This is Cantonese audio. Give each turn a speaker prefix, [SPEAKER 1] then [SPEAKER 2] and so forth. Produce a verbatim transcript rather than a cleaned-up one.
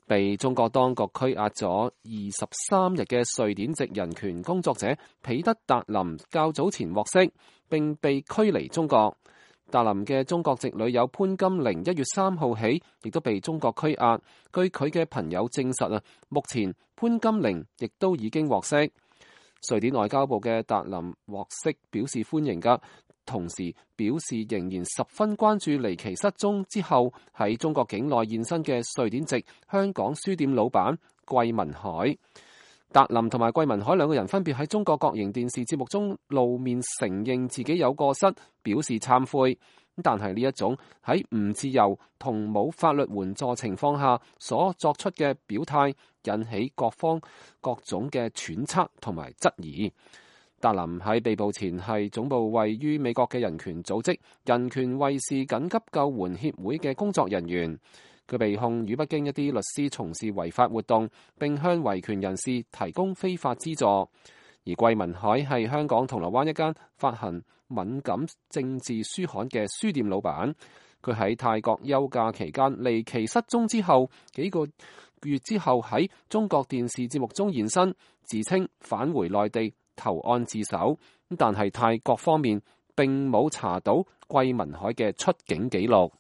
[SPEAKER 1] 被中國當局拘押咗二十三日嘅瑞典籍人權工作者彼得達林較早前獲釋，並被驅離中國。達林嘅中國籍女友潘金玲一月三號起亦都被中國拘押。據佢嘅朋友證實啊，目前潘金玲亦都已經獲釋。瑞典外交部嘅達林獲釋表示歡迎㗎，同時表示仍然十分關注離奇失蹤之後喺中國境內現身嘅瑞典籍香港書店老闆桂民海。達林同埋桂民海兩個人分別喺中國國營電視節目中露面，承認自己有過失，表示懺悔。但係呢一種喺唔自由同冇法律援助情況下所作出嘅表態，引起各方各種嘅揣測同埋質疑。達林喺被捕前係總部位於美國嘅人權組織人權衛士緊急救援協會嘅工作人員。佢被控與北京一啲律師從事違法活動，並向維權人士提供非法資助。而桂民海係香港銅鑼灣一間發行敏感政治書刊嘅書店老闆。佢喺泰國休假期間離奇失蹤之後，幾個月之後喺中國電視節目中現身，自稱返回內地投案自首。但係泰國方面並冇查到桂民海嘅出境記錄。